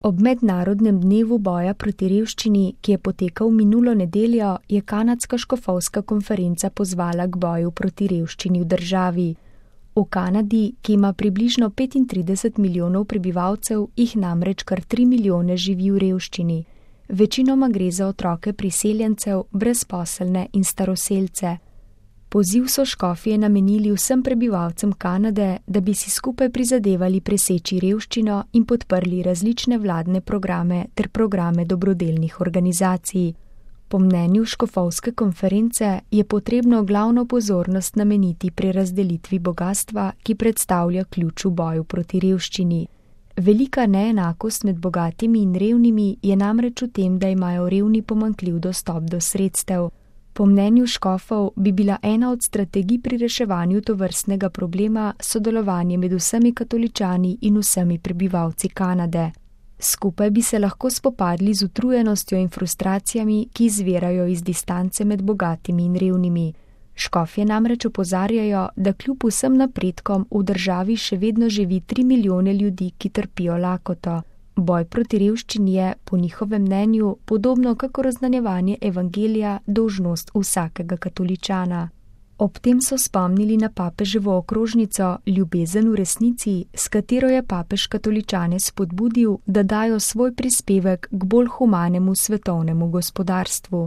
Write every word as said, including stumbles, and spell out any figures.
Ob mednarodnem dnevu boja proti revščini, ki je potekal minulo nedeljo, je kanadska škofovska konferenca pozvala k boju proti revščini v državi. V Kanadi, ki ima približno petintrideset milijonov prebivalcev, jih namreč kar tri milijone živi v revščini. Večinoma gre za otroke priseljencev, brezposelne in staroselce. Poziv so škofje namenili vsem prebivalcem Kanade, da bi si skupaj prizadevali preseči revščino in podprli različne vladne programe ter programe dobrodelnih organizacij. Po mnenju škofovske konference je potrebno glavno pozornost nameniti prerazdelitvi bogastva, ki predstavlja ključ v boju proti revščini. Velika neenakost med bogatimi in revnimi je namreč v tem, da imajo revni pomanjkljiv dostop do sredstev. Po mnenju škofov bi bila ena od strategij pri reševanju tovrstnega problema sodelovanje med vsemi katoličani in vsemi prebivalci Kanade. Skupaj bi se lahko spopadli z utrujenostjo in frustracijami, ki izvirajo iz distance med bogatimi in revnimi. Škofje namreč opozarjajo, da kljub vsem napredkom v državi še vedno živi tri milijone ljudi, ki trpijo lakoto. Boj proti revščini je, po njihovem mnenju, podobno kakor oznanjevanje evangelija, dolžnost vsakega katoličana. Ob tem so spomnili na papeževo okrožnico Ljubezen v resnici, s katero je papež katoličane spodbudil, da dajo svoj prispevek k bolj humanemu svetovnemu gospodarstvu.